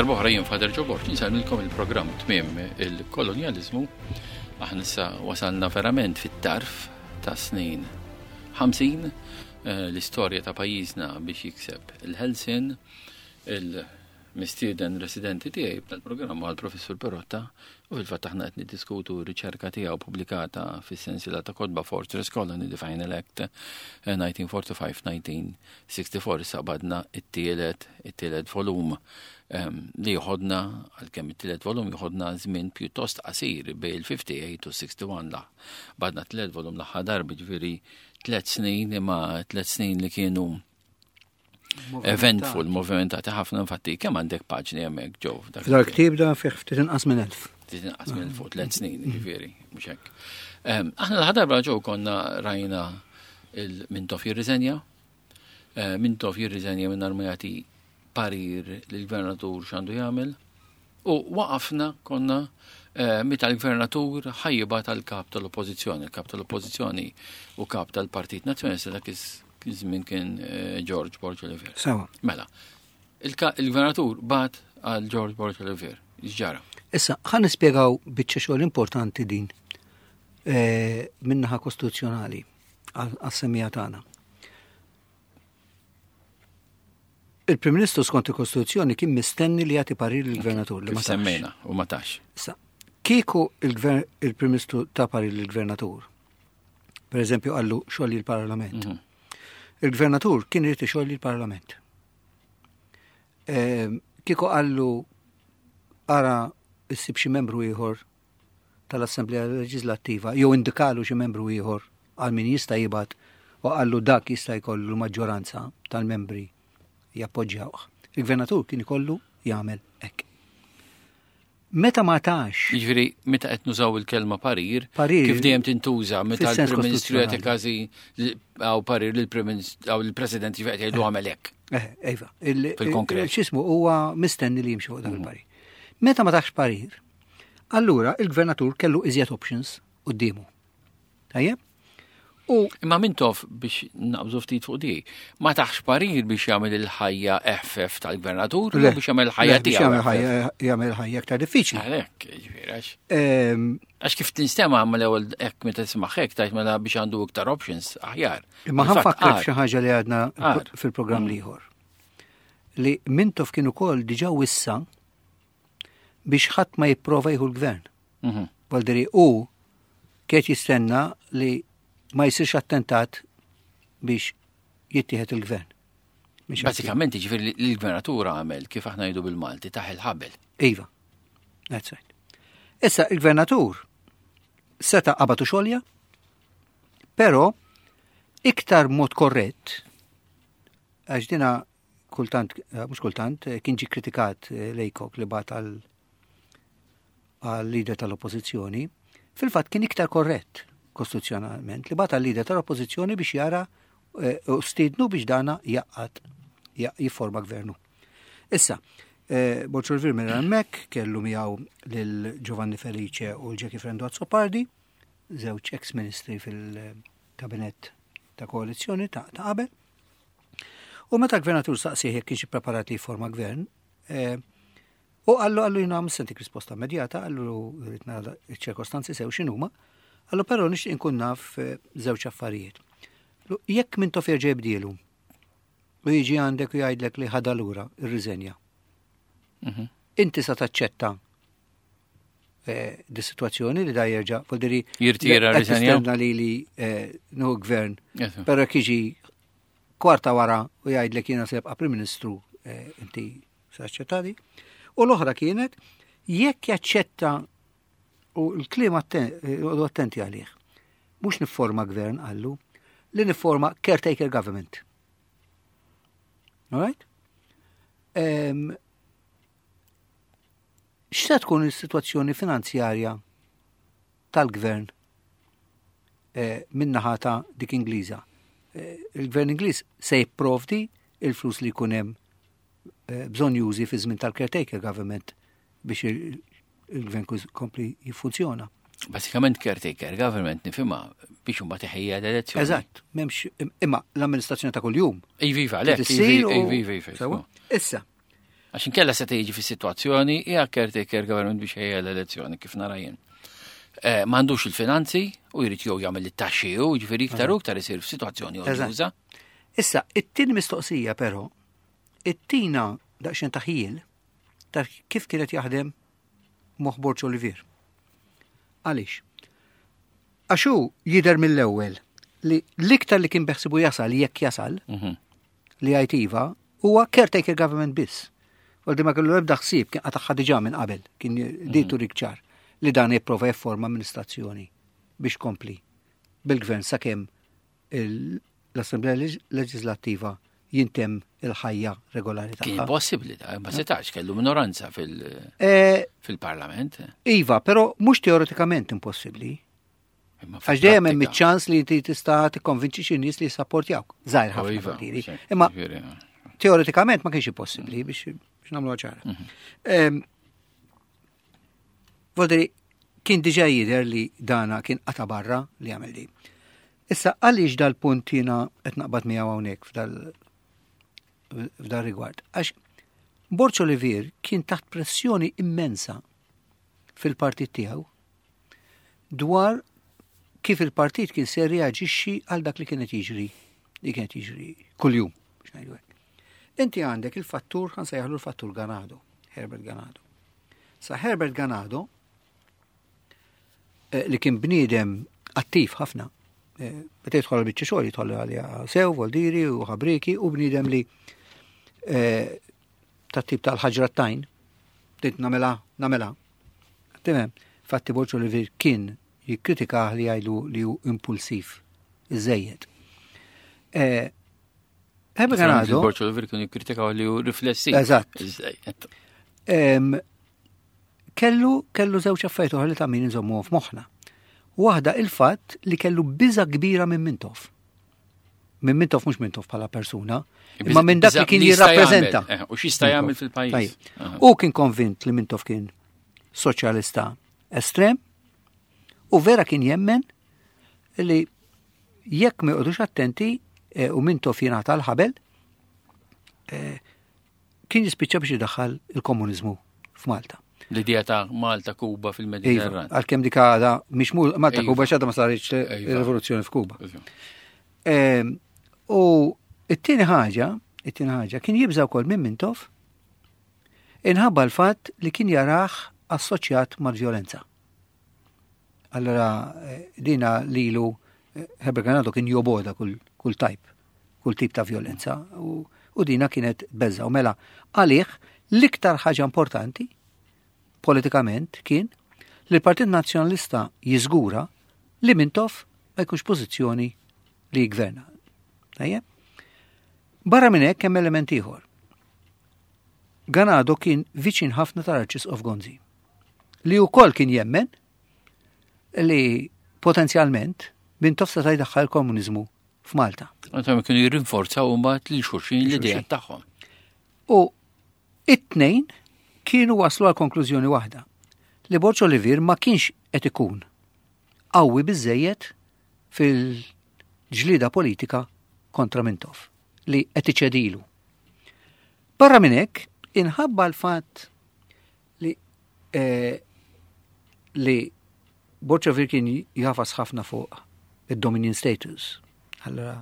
darb'oħra jien Father Joe Borg insellmilkom il-programm Tmiem il-Kolonjaliżmu. Aħna issa wasalna verament fit-tarf ta' snin 50 eh, l-istorja ta' pajjiżna biex jikseb il-Helsin, il-mistieden residenti tiegħi tal-programm għal Professur Perotta u fil-fatt aħna qed niddiskutu r-riċerka tiegħu pubblikata fis-sensiela ta' kotba Fortress Colony The Final Act 1945-1964 eh, issa qbadna it-tielet it-tielet volum ehm, li jħodna għalkemm it-tielet volum jħodna żmien pjuttost qasir bejn il-58 u 61 la. Badna t-tielet volum l-aħħar darba ġifieri tliet snin imma tliet snin li kienu eventful, movimentati ħafna infatti, kemm għandek paġni hemmhekk ġew? Dal-ktieb da fih ftit inqas minn elf. Ftit inqas minn fuq tliet snin, mm. ġifieri, mhux hekk. Ehm, aħna l-ħadarba ġew konna rajna il-Mintoff jirriżenja, eh, Mintoff jirriżenja minn ma jagħti parir lill-gvernatur x'għandu jagħmel. U waqafna konna eh, meta l-gvernatur ħajjiba tal-kap tal-oppożizzjoni, il-kap tal-oppożizzjoni u kap tal-Partit Nazzjonalista dak iż-żmien kien eh, George Borg Olivier. Sawa. Mela, il-gvernatur bat għal George Borg Olivier, ġara. Issa, ħan nispjegaw biċċa xogħol importanti din eh, minnaħa kostituzzjonali għas-semija tagħna. Il-Prim Ministru skont il-Kostituzzjoni kien mistenni li jagħti parir lill-Gvernatur li ma semmejna u ma tax. Issa, kieku il-Prim Ministru ta' parir lill-Gvernatur, per eżempju qallu xogħli l-Parlament. Mhm. Il-Gvernatur kien irid ixolli l-Parlament. Ehm, kieku qallu ara issib xi membru ieħor tal-Assemblea Leġislattiva jew indikalu xi membru ieħor għal min jista' jibgħat u qallu dak jista' jkollu l-maġġoranza tal-membri jappoġġjawh. Il-gvernatur kien ikollu jagħmel hekk. Meta ma tax. Jiġifieri meta qed nużaw il-kelma parir, parir kif dejjem tintuża meta l-Prim Ministru jagħti każi għaw parir lill-Prim Ministru għaw il-President jiġifieri qed jgħidu għamel hekk. Eh, iva. Fil-konkret. X'ismu huwa mistenni li jimxi fuq dak mm. il-parir. Meta ma tax parir, Allura il-gvernatur kellu iżjed options quddiemu. Tajjeb? U Imma Mintoff biex naqbżu ftit fuq di, ma taħx parir biex jagħmel il-ħajja eħfef tal-gvernatur u biex jagħmel il-ħajja tiegħu. Biex jagħmel ħajja aktar diffiċli. Għalhekk, ġifieri għax. Ehm, għax kif tinstema' mal-ewwel hekk meta tisma' hekk tajt mela biex għandu iktar options aħjar. Imma ħanfakkar xi ħaġa li għadna fil-programm mm. l-ieħor. Li Mintoff kien ukoll diġà wissa biex ħadd ma jipprova jieħu l-gvern. Mhm. Valderi u kiet jistenna li ma jsirx attentat biex jittieħed il-gvern. Basikament, ġifieri li l-gvernatur għamel kif aħna jgħidu bil-Malti taħ il-ħabel. Iva, that's right. Issa il-gvernatur seta qabatu xolja, pero iktar mod korrett, għax dina kultant, eh, mhux kultant, eh, kien ġi kritikat eh, Lejkok li bat għal leader tal-oppożizzjoni, fil-fatt kien iktar korrett kostituzzjonalment li bat għal leader tal-oppożizzjoni biex jara u stidnu biex dana jaqqat jifforma gvernu. Issa, Borċol Virmer hemmhekk kellu miegħu lil Giovanni Felice u l-Jackie Frendo Azzopardi, żewġ ex-ministri fil-kabinett ta' koalizzjoni ta' qabel. U meta l-gvernatur saqsih jekk kienx ippreparat li jifforma gvern, eh, u qallu qallu jina sentik risposta immedjata, qallu rrid nara ċ-ċirkostanzi sew x'inhuma, qallu però nixtieq inkun naf eh, żewġ affarijiet. Jekk minn tof jerġa' jibdielu u jiġi għandek u jgħidlek li ħadha lura ir-riżenja. Mhm. Inti sa taċċetta eh, di situazzjoni li da jerġa' vuol jirtira riżenja. Li li nuhu gvern. Però kiġi kwarta wara u jgħidlek jiena se jibqa' Prim Ministru eh, inti se aċċettadi. U l-oħra kienet jekk jaċċetta u l-kliem eh, attenti għalih. Mhux nifforma gvern qallu, li nifforma caretaker government. All right? Um, X'se tkun is-sitwazzjoni finanzjarja tal-gvern eh, min-naħa ta' dik Ingliża. Eh, il-gvern Ingliż se jipprovdi il-flus li jkun hemm eh, bżonn jużi fi żmien tal-caretaker government biex il-gvern kompli jiffunzjona. Basikament caretaker government nifhimha biex imbagħad iħejja l-elezzjoni. Eżatt, m'hemmx imma l-amministrazzjoni ta' kuljum. Iva, iva, iva, iva, iva. Issa, Għax inkella se jiġi fi situazzjoni hija caretaker government biex ħejja l-elezzjoni kif nara jien. Eh, m'għandux il-finanzi u jrid jew jagħmel it-taxxi u ġifieri iktar u iktar isir f'sitwazzjoni odjuża. Issa, it-tieni mistoqsija però, it-tina daqsxejn taħjil ta' kif kienet jaħdem moħħ Borg Olivier. Għaliex? Għax hu jidher mill-ewwel li l-iktar li kien beħsibu jasal jekk jasal mhm. li għajt iva huwa caretaker government biss. Għaldi ma kellu ebda ħsieb kien qataħħa diġà minn qabel, kien mhm. ditu ċar li dan jipprova jifforma amministrazzjoni biex kompli bil-gvern sakemm l-Assemblea Leġislattiva jintemm il-ħajja regolari tagħha. Kien possibbli da, ma setax kellu minoranza eh, fil-parlament. Iva, però mhux teoretikament impossibbli. Għax dejjem hemm iċ-ċans li inti tista' tikkonvinċi xi nies li jissapportjawk. Żgħir ħafna. Iva, Imma teoretikament ma kienx impossibbli biex nagħmlu ċara. Mhm. Vodri, kien diġa jidher li dana kien qata barra li għamel di. Issa għaliex dal-punt jiena qed naqbad miegħu hawnhekk f'dal f'dal rigward. Għax Borċ Olivier kien taħt pressjoni immensa fil-partit tiegħu dwar kif il-partit kien se reaġixxi għal dak li kienet jiġri li kienet jiġri kuljum biex ngħidu hekk. Inti għandek il-fattur ħan sejjaħlu l-fattur Ganado, Herbert Ganado. Sa Herbert Ganado eh, li kien bniedem attiv ħafna, eh, meta jidħol biċċa xogħol jidħol għalija sew, voldiri u ħabriki u bniedem li eh, ta' tip tal-ħaġra tajn, dit namela, namela. Timem, fatti Borċo li kien jikkritika li jgħidu li hu impulsiv, iżejjed. Herbert Ganado. Borċo Oliver kienu jikkritikaw li hu riflessi. Eżatt. Kellu kellu żewġ affarijiet oħra li ta' min inżommuhom f'moħħna. Waħda il-fatt li kellu biża kbira minn Mintoff. Minn Mintoff mhux Mintoff bħala persuna, imma minn dak li kien jirrappreżenta. Eh, u x'jista' jagħmel fil-pajjiż. U kien konvint li Mintoff kien soċjalista estrem u vera kien jemmen li jekk ma joqgħodux attenti eh, u Mintoff jingħata l-ħabel, eh, kien jispiċċa biex idaħħal il-komuniżmu f'Malta. L-idea ta' Malta, Kuba fil-Mediterran. Iva, għalkemm dik għada mhix Malta, iva. Kuba x'għadha ma saritx iva. il-rivoluzzjoni f'Kuba. Iva. Ehm, u it-tieni ħaġa, it-tieni ħaġa kien jibża wkoll minn Mintoff inħabba l-fatt li kien jarah assoċjat mal-vjolenza. Allora eh, dina lilu eh, Herbert Ganado kien joboda kull, kull tajp, kull tip ta' violenza u, u dina kienet beża. U mela għalih l-iktar ħaġa importanti politikament kien li l-Partit Nazzjonalista jiżgura li Mintoff ma jkunx pożizzjoni li jgverna. Tajjeb? Barra minn hekk hemm element ieħor. Ganado kien viċin ħafna tal-Arċisqof Gonzi. li wkoll kien jemmen li potenzjalment Mintoff seta' jdaħħal komuniżmu f'Malta. Għandhom kienu jirrinforzaw mbagħad lil xulxin l-idea tagħhom. U it-tnejn kienu waslu għal konklużjoni waħda li Borġ Olivier ma kienx qed ikun qawwi biżejjed fil-ġlida politika kontra Mintoff li qed iċedilu. Barra minn hekk, inħabba l-fatt li eh, li Borċovir kien jafas ħafna fuq id-dominion status. Allora,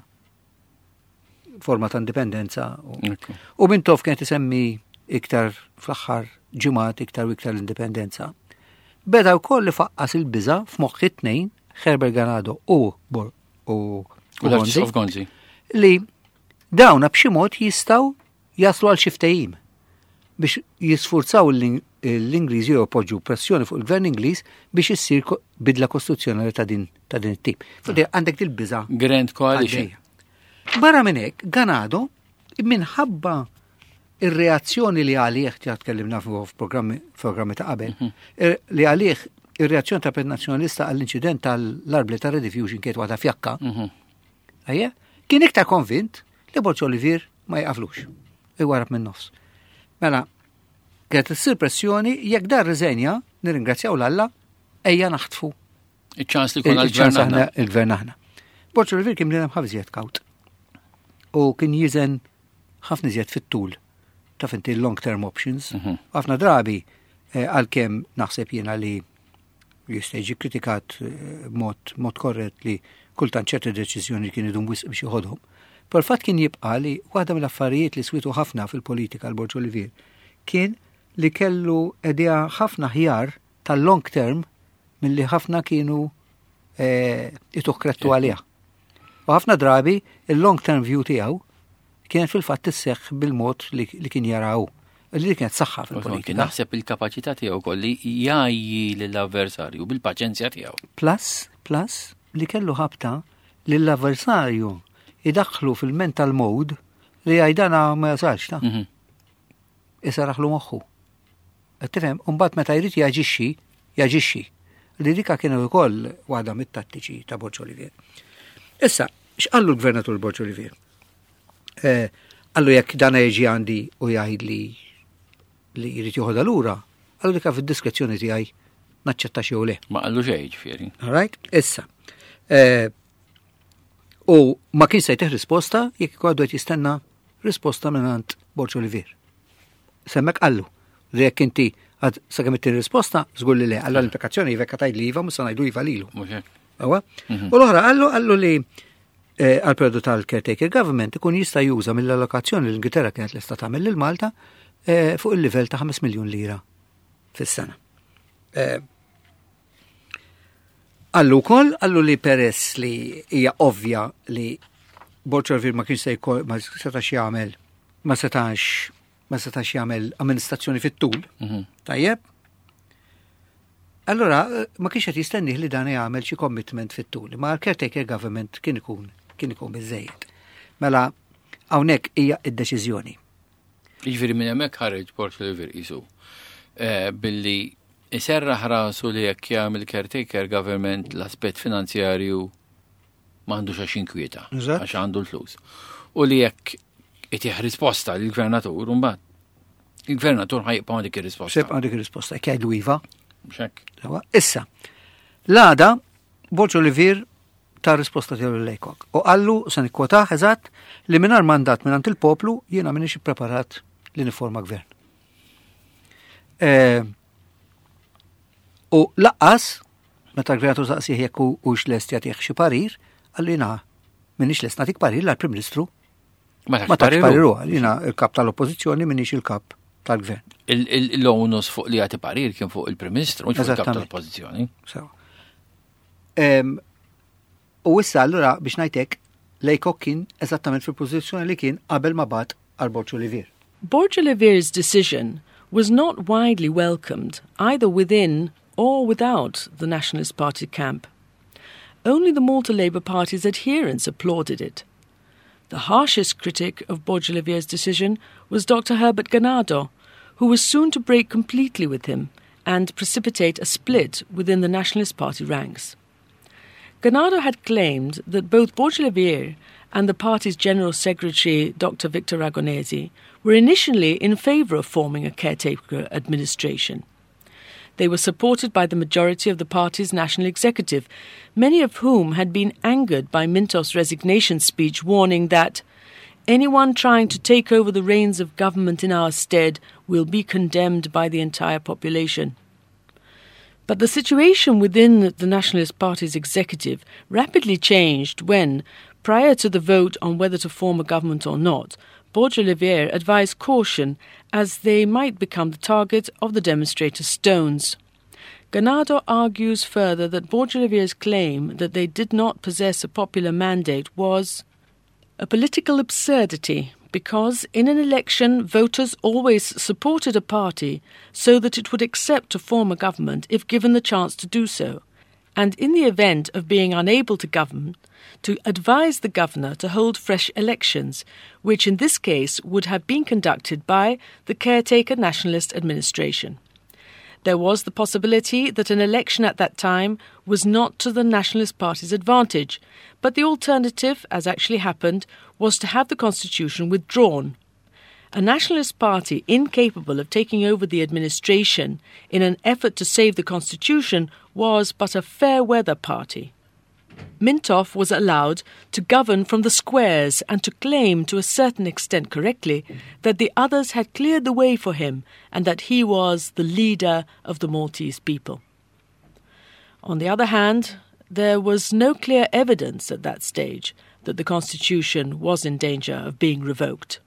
forma ta' indipendenza. U Mintoff kien isemmi iktar fl-aħħar ġimgħat iktar u iktar l-indipendenza. Beda wkoll li faqqas il-biża f'moħħ it-tnejn, Herbert Ganado u Bor u Gonzi, li dawna b'xi mod jistgħu jaslu għal xi ftehim biex jisfurzaw l-Ingliżi jew ipoġġu pressjoni fuq il-gvern Ingliż biex issir bidla kostituzzjonali ta' din ta' din it-tip. Fuq għandek dil-biża. Grand Coalition. Barra minn hekk, Ganado minħabba ir-reazzjoni li għalih ġa tkellimna f'programmi ta' qabel, mhm. li għalih ir-reazzjoni ta' Partit Nazzjonalista għall-inċident tal-arbli ta' Rediffusion kienet waħda fjakka. Mhm. Ejja, kien iktar konvint li Borġ Olivier ma jqaflux. Iwarab minn nofs. Mela, kienet issir pressjoni jekk dar riżenja, nirringrazzjaw l-Alla, ejja naħtfu. Iċ-ċans li kuna l-gvern aħna. Il-gvern aħna. Borġ Olivier kien bniedem ħafna iżjed kawt. U kien jiżen ħafna iżjed fit-tul. taf inti long term options. Ħafna drabi għalkemm naħseb jiena li jista' jiġi kritikat mod mod korrett li kultant ċerti deċiżjoni kien idum wisq biex joħodhom. Però l-fatt kien jibqa' li waħda mill-affarijiet li switu ħafna fil-politika l-Borg Olivier kien li kellu idea ħafna ħjar tal-long term milli ħafna kienu ituh kredtu għaliha. U ħafna drabi il-long term view tiegħu kienet fil-fatt isseħħ bil-mod li kien jaraw. Li kienet saħħa fil-politika. Naħseb il-kapaċità tiegħu kolli jgħajji lill-avversarju bil-paċenzja tiegħu. Plus li kellu ħabta lill-avversarju idaħħlu fil-mental mode li għajdana ma jasalx ta' Isaraħlu moħħu. Qed tifhem, u mbagħad meta jrid jaġixxi, jaġixxi. Li dika kienu wkoll waħda mit-tattiċi ta' Borg Olivier. Issa, x'qallu l-gvernatur Borg Olivier? Qallu jekk dan jiġi għandi u jgħid li jrid joħodha lura, qallu dika fid-diskrezzjoni tiegħi naċċetta xi le. Ma qallu xejn ġifieri. All right? Issa. U ma kien se jtih risposta jekk għadu qed jistenna risposta mingħand Borg Olivier. Semmek qallu li jekk inti għad sakemm ittini risposta, żgur li le, għalla l-implikazzjoni jivekka tgħid li iva, mhux se ngħidu iva lilu. Mhux hekk. Ewa? U l-oħra qallu li għal periodu tal-caretaker government ikun jista' juża mill-allokazzjoni li l-Ingilterra kienet lesta tagħmel lil Malta fuq il-livell ta' 5 miljun lira fis-sena. Qallu wkoll, qallu li peress li hija ovvja li Borg Olivier ma kienx se jkoll, ma setax jagħmel, ma setax, ma setax jagħmel amministrazzjoni fit-tul. Tajjeb? Allora, ma kienx qed jistennih li dan jagħmel xi commitment fit-tul, ma l-caretaker government kien ikun biżejjed. Mela, hawnhekk hija id-deċiżjoni. Jiġifieri minn hemmhekk ħareġ Borg Olivier qisu billi iserraħ rasu li jekk jagħmel caretaker government l-aspett finanzjarju m'għandux għax jinkwieta, għax għandu l-flus. U li jekk itih risposta lill-gvernatur, mbagħad il-gvernatur ħa jibqa' dik ir-risposta. Se jibqa' dik ir-risposta, jekk jgħidu iva. Mhux hekk. Sewa. Issa, l-għada Borg Olivier ta risposta tiegħu lil Aycock. U qallu, se nikkwotah eżatt, li mingħajr mandat mingħand il-poplu jiena m'iniex ippreparat li niforma gvern. U lanqas, meta l-gvernatur saqsih jekk hux lest jagħtih xi parir, qallu jiena m'iniex lest nagħtik parir l-Prim Ministru Ma ma tax parir hu, jiena il-kap tal-Oppożizzjoni m'iniex il-kap tal-gvern. L-onus fuq li jagħti parir kien fuq il-Prim Ministru, mhux fuq il-kap tal-Oppożizzjoni. Sewa. U issa allura biex ngħidlek Aycock kien eżattament fil-pożizzjoni li kien qabel ma bagħat għal Borg Olivier. Borg Olivier's decision was not widely welcomed either within or without the Nationalist Party camp. Only the Malta Labour Party's adherents applauded it. The harshest critic of Borg Olivier's decision was Dr. Herbert Ganado, who was soon to break completely with him and precipitate a split within the Nationalist Party ranks. Ganado had claimed that both Borg Olivier and the party's General Secretary, Dr. Victor Ragonesi, were initially in favour of forming a caretaker administration. They were supported by the majority of the party's national executive, many of whom had been angered by Mintoff's resignation speech warning that anyone trying to take over the reins of government in our stead will be condemned by the entire population. But the situation within the Nationalist Party's executive rapidly changed when, prior to the vote on whether to form a government or not, Borg Olivier advised caution as they might become the target of the demonstrators' stones. Ganado argues further that Borg Olivier's claim that they did not possess a popular mandate was a political absurdity because in an election voters always supported a party so that it would accept to form a government if given the chance to do so, and in the event of being unable to govern, to advise the governor to hold fresh elections, which in this case would have been conducted by the caretaker nationalist administration. There was the possibility that an election at that time was not to the Nationalist Party's advantage, but the alternative, as actually happened, was to have the constitution withdrawn. A Nationalist Party incapable of taking over the administration in an effort to save the constitution was but a fair weather party. Mintoff was allowed to govern from the squares and to claim, to a certain extent correctly, that the others had cleared the way for him and that he was the leader of the Maltese people. On the other hand, there was no clear evidence at that stage that the constitution was in danger of being revoked.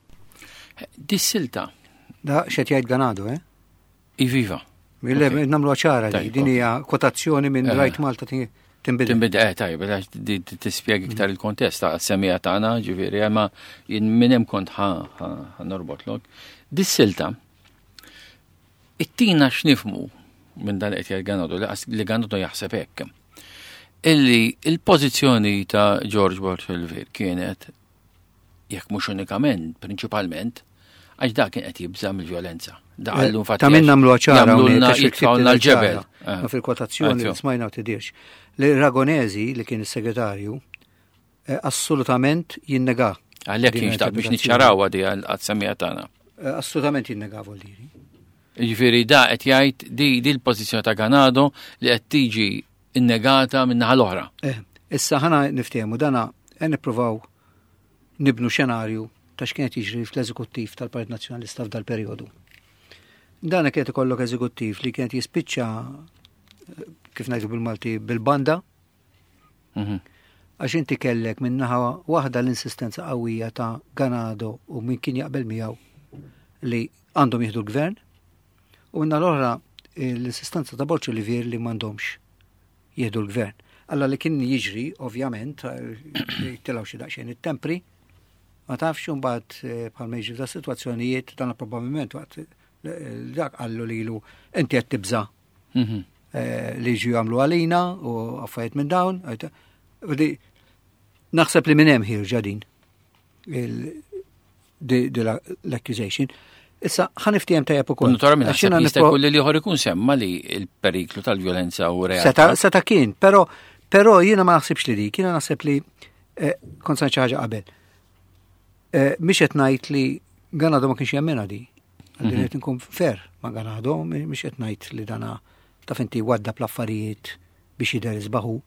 Dis-silta. Da x'qed jgħid Ganado, eh? Iviva. Nagħmlu ċara li din hija kwotazzjoni minn Rajt Malta Tinbidel. Tinbidel, eh, tajjeb, għax tispjega iktar il-kontest ta' semija tagħna, ġifieri, eh, ma jien minn hemm kont ħa norbotlok. Dis-silta ittina x'nifmu minn dan qed jgħid Ganado li Ganado jaħseb hekk. Illi il-pożizzjoni ta' George Borg Olivier kienet jekk mhux unikament, prinċipalment, għax dak kien qed jibża' mill-vjolenza. Da eh, qallu infatti. Ta' minn nagħmlu ċara jagħmlulna jitfgħulna l-ġebel. Eh. Ma fil-kwotazzjoni li smajna u tidirx. Li Ragonesi li kien is-segretarju eh, assolutament jinnega. Għalhekk kien xtaq biex niċċaraw għadi għad-semija tagħna. Assolutament jinnega vuol diri. Jiġifieri da qed jgħid di di l-pożizzjoni ta' Ganado li qed tiġi innegata min-naħa l-oħra. Issa ħana niftehmu dana qed nippruvaw nibnu xenarju ta' x'kien qed jiġri fl-eżekuttiv tal-Partit Nazzjonalista f'dal perjodu. Dan kienet ikollok eżekuttiv li kienet jispiċċa kif ngħidu bil-Malti bil-banda. Mhm. Għax inti kellek minn naħa waħda l-insistenza qawwija ta' Ganado u min kien jaqbel miegħu li għandhom jieħdu l-gvern u minna l-oħra l-insistenza ta' Borg Olivier li m'għandhomx jieħdu l-gvern. Alla li kien jiġri, ovvjament, tilgħu xi daqsxejn it-tempri, ma tafx imbagħad eh, bħalma jiġri ta' sitwazzjonijiet dan probabbilment waqt eh, dak qallu lilu inti qed tibża' mhm. eh, li jiġu jagħmlu għalina u affarijiet minn dawn. Naħseb li minn hemm ħirġa din l-accusation. Issa, ħa niftihem tajjeb ukoll. Naturalment, naħseb jista' jkun li l-ieħor ikun semma li l-periklu tal-vjolenza u realtà. Seta kien, però però jiena ma naħsibx li dik, jiena naħseb li eh, kont sa xi ħaġa qabel. Eh, mhix qed ngħid li Ganado ma kienx jemmina di. Għandi mhm. qed nkun fair ma' Ganado, mhix qed ngħid li dana taf inti wadda pl-affarijiet biex jidher isbaħu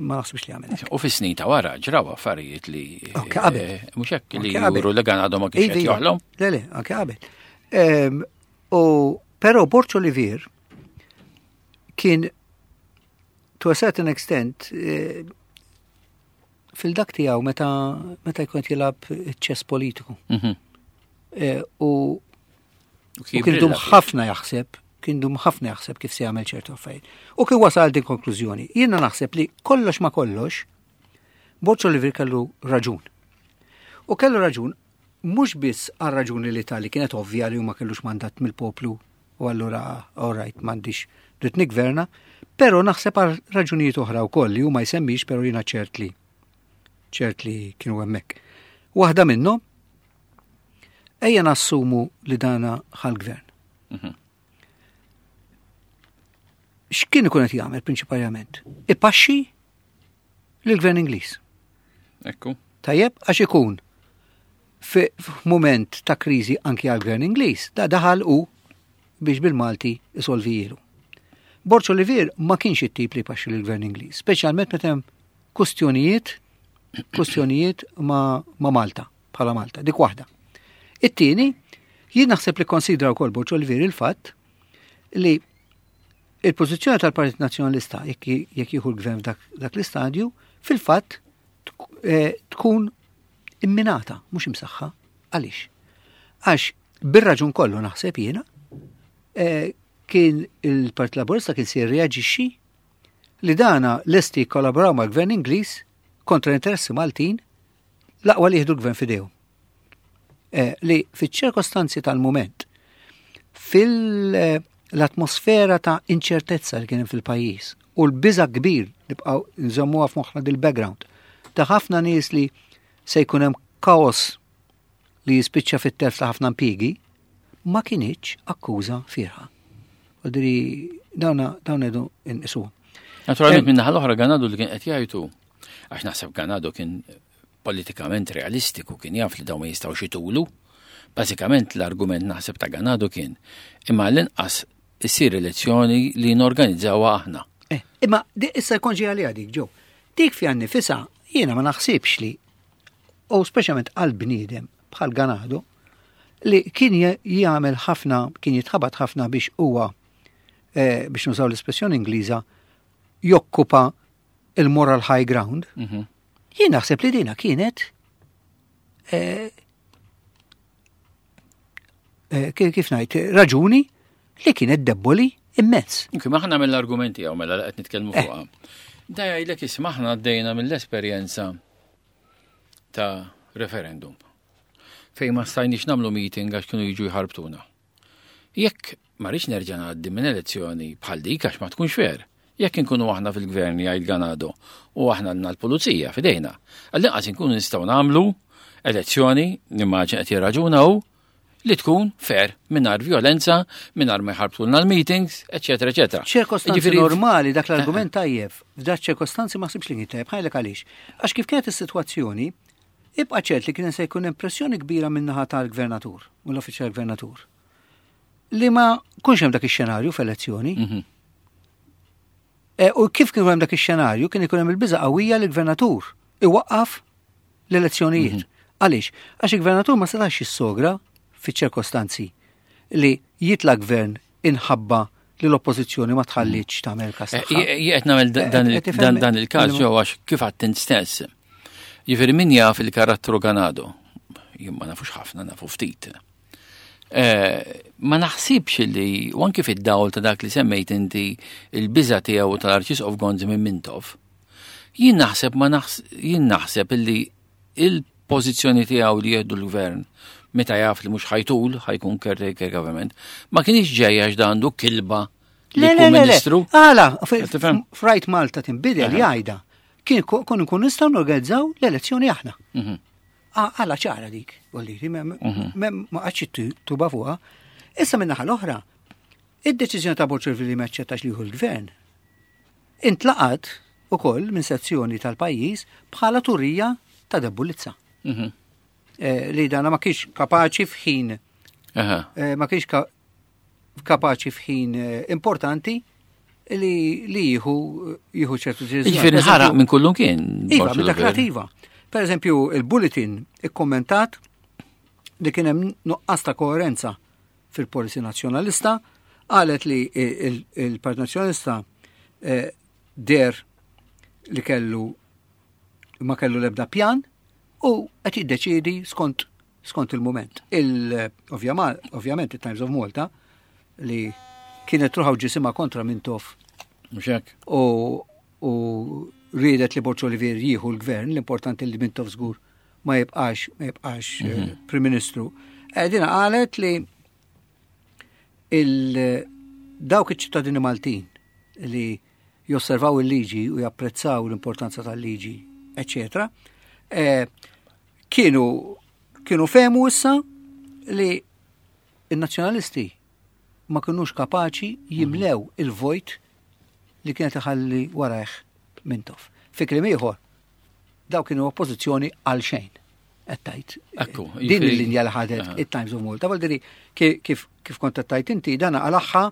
ma naħsibx li għamel. U fis-snin ta' wara ġraw affarijiet li. Anke qabel. Eh, mhux hekk li juru li gan għadhom ma kienx qed joħlom. Le, le, anke qabel. Ehm, u però Borg Olivier kien to a certain extent eh, fil-dak tiegħu meta meta jkun qed jilgħab ċess politiku. Mhm. Eh, u kien dum ħafna jaħseb, kien dum ħafna jaħseb kif se jagħmel ċertu affarijiet. U kien wasal din konklużjoni. Jiena naħseb li kollox ma kollox, Borg Olivier kellu raġun. U kellu raġun mhux biss għal raġuni li tali kienet ovvja li huma kellux mandat mill-poplu u allura all right m'għandix dritt nigverna, però naħseb għal raġunijiet oħra wkoll li huma jsemmix però jiena ċert li ċert li kienu hemmhekk. Waħda minnhom ejja nassumu li dana ħal-gvern. Mhm. X'kien ikun qed jagħmel prinċipalment? Ipaxxi lill-gvern Ingliż. Ekku. Tajjeb, għax ikun f'mument ta' kriżi anki għall-gvern Ingliż, da daħal u biex bil-Malti isolvijielu. Borg Olivier ma kienx it-tip li jpaxxi lill-gvern Ingliż, speċjalment meta hemm kustjonijiet kustjonijiet ma, ma Malta, bħala Malta, dik waħda. It-tieni, jien naħseb li konsidra wkoll Borg Olivier il-fatt li il-pożizzjoni tal-Partit Nazzjonalista jekk jieħu l-gvern f'dak l-istadju, fil-fatt eh, tkun imminata, mhux imsaħħa. Għaliex? Għax bir-raġun kollu naħseb jiena, eh, kien il-Partit Laburista kien se jirreaġixxi li dana lesti jikkollaboraw mal-Gvern Ingliż kontra l-interessi Maltin l-aqwa li jieħdu l-gvern f'idejhom. Eh, li fiċ-ċirkostanzi tal-mument, fil-atmosfera ta' inċertezza li kien fil-pajjiż u l-biża kbir nibqgħu nżommuha f'moħħna dil-background ta' ħafna nies li se jkun hemm kaos li jispiċċa fit-telf ta' ħafna impjiegi, ma kinitx akkuża fierħa. Diri dawna dawn edu inqisuhom. Naturalment minn naħa l-oħra Ganado li kien qed jgħidu għax naħseb Ganado kien politikament realistiku kien jaf li dawn ma jistgħux itulu. Bażikament l-argument naħseb ta' Ganado kien imma l-inqas issir elezzjoni li norganizzawha aħna. Eh, imma issa jkun ġej għalija dik ġew. Dik fiha nnifisha jiena ma naħsibx li u speċjalment għal bniedem bħal Ganado li kien jagħmel ħafna, kien jitħabat ħafna biex huwa eh, biex nużaw l-espressjoni Ingliża jokkupa il-moral high ground. Mhm. Jien naħseb li dina kienet eh, eh, kif ngħid raġuni li kienet debboli immens. Kif aħna mill-argumenti hawn mela qed nitkellmu eh. fuqha. Da jgħidlek isma' aħna għaddejna mill-esperjenza ta' referendum fejn ma stajniex nagħmlu meeting għax kienu jiġu jħarbtuna. Jekk ma rridx nerġa' ngħaddi minn elezzjoni bħal dik għax ma tkunx fair. Jekk inkunu aħna fil-gvern jgħid Ganado u aħna għandna l-pulizija f'idejna, għall-inqas inkunu nistgħu nagħmlu elezzjoni, nimmaġin qed jirraġuna hu, li tkun fair, mingħajr violenza, mingħajr ma jħarbtulna l-meetings, eċetera, eċetera. Ċirkostanzi normali dak l-argument tajjeb, f'dak ċirkostanzi ma ħsibx li kien tajjeb, ħajlek għaliex. Għax kif kienet is-sitwazzjoni, ibqa' ċert li kien se jkun impressjoni kbira min-naħa tal-gvernatur, mill-uffiċċju tal-gvernatur. Li ma kunx hemm dak ix-xenarju f'elezzjoni. Mhm. E, u kif kien hemm dak ix-xenarju kien ikun hemm il-biża' qawwija li l-gvernatur iwaqqaf l-elezzjonijiet. Mhm. Għaliex? Għax il-gvernatur ma setax jissogra fiċ-ċirkostanzi li jitla' gvern inħabba li l-oppożizzjoni ma tħalliċ tagħmel każ. Eh, qed nagħmel eh, dan il-każ ġew għax kif għadt stess. Jiġifieri min jaf il-karattru Ganado, jien ma nafux ħafna, nafu ftit. Eh, ma naħsibx li, u anki fid-dawl ta' dak li semmejt inti il-biża tiegħu tal-Arċisqof Gonzi minn Mintoff, jien naħseb ma jien naħseb illi il-pożizzjoni tiegħu li jieħdu l-gvern meta jaf li mhux ħajtul, ħajkun caretaker government, ma kienx ġejja għax għandu kilba li jkun ministru. Għala, frajt Malta tinbidel jgħidha. Kien kun nkun nistgħu norganizzaw l-elezzjoni aħna. Mhm. Għala ċara dik, volliri, mhm. ma għadx tuba fuqha. Issa minnaħa l-oħra, id-deċiżjoni ta' Borċervi li ma ċċettax li l-gvern intlaqat ukoll minn sezzjoni tal-pajjiż bħala turija ta' debbulizza. Mhm. Eh, li dana ma kienx kapaċi f'ħin eh, ma kienx kapaċi f'ħin eh, importanti li li jieħu jieħu ċertu deċiżjoni. Jiġifieri ħaraq minn kullum kien. Iva, minn dak iva. Per eżempju, il-bulletin ikkommentat li kien hemm nuqqas ta' koerenza fil-policy nazzjonalista, qalet li il-Partit Nazzjonalista eh, der li kellu ma kellu l-ebda pjan u qed jiddeċiedi skont skont il-mument. Il, ovvjament, il-Times of Malta li kienet ruħa ġisima kontra Mintoff. Mxek. U, u riedet li Borg Olivier jieħu l-gvern, l-importanti li Mintoff żgur ma jibqax, ma jibqax mm -hmm. Prim Ministru. Eh, dina qalet li il dawk iċ-ċittadini Maltin li josservaw il-liġi u japprezzaw l-importanza tal-liġi, eccetera, eh, kienu kienu fehmu issa li il-nazzjonalisti ma kienux kapaċi jimlew il-vojt li kienet iħalli warajh Mintoff. Fi kliem ieħor, daw kienu oppożizzjoni għal xejn. Qed tajt. Ekku, Din il-linja li ħadet it-Times of Malta, vuol dire kif kif kont qed tajt inti dana għalaħħa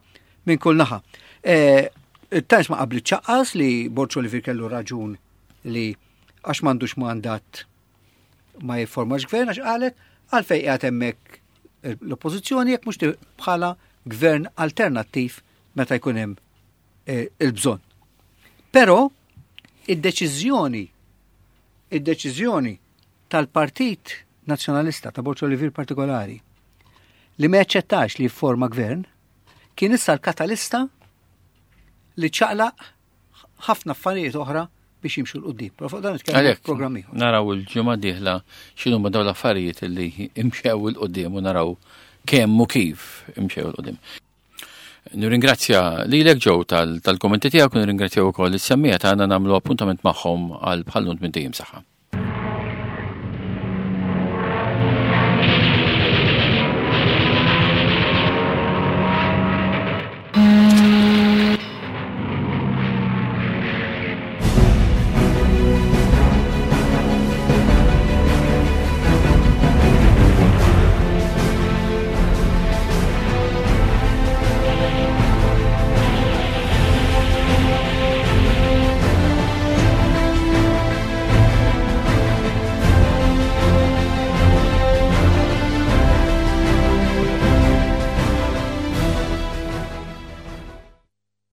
minn kull naħa. Eh, Il-Times ma qabli ċaqqas li Borg Olivier kellu raġun li għax m'għandux mandat ma jifformax gvern għax qalet għalfejn qiegħed hemmhekk l-oppożizzjoni jekk mhux bħala gvern alternattiv meta jkun hemm eh, il-bżonn. Però id-deċiżjoni id-deċiżjoni tal-Partit Nazzjonalista ta' Borg Olivier partikolari li ma jaċċettax li jifforma gvern kien issa l-katalista li ċaqlaq ħafna affarijiet oħra biex jimxu 'l quddiem. Però fuq dan nitkellmu Għalhekk, programm ieħor. naraw il-ġimgħa dieħla x'inhu ma dawn l-affarijiet li imxew 'il quddiem u naraw kemm u kif imxew 'il quddiem. Nirringrazzja lilek Joe tal-kommenti tiegħek u nirringrazzja wkoll is-semmiegħa tagħna nagħmlu appuntament magħhom għal bħal-lum tmint ijiem saħħa.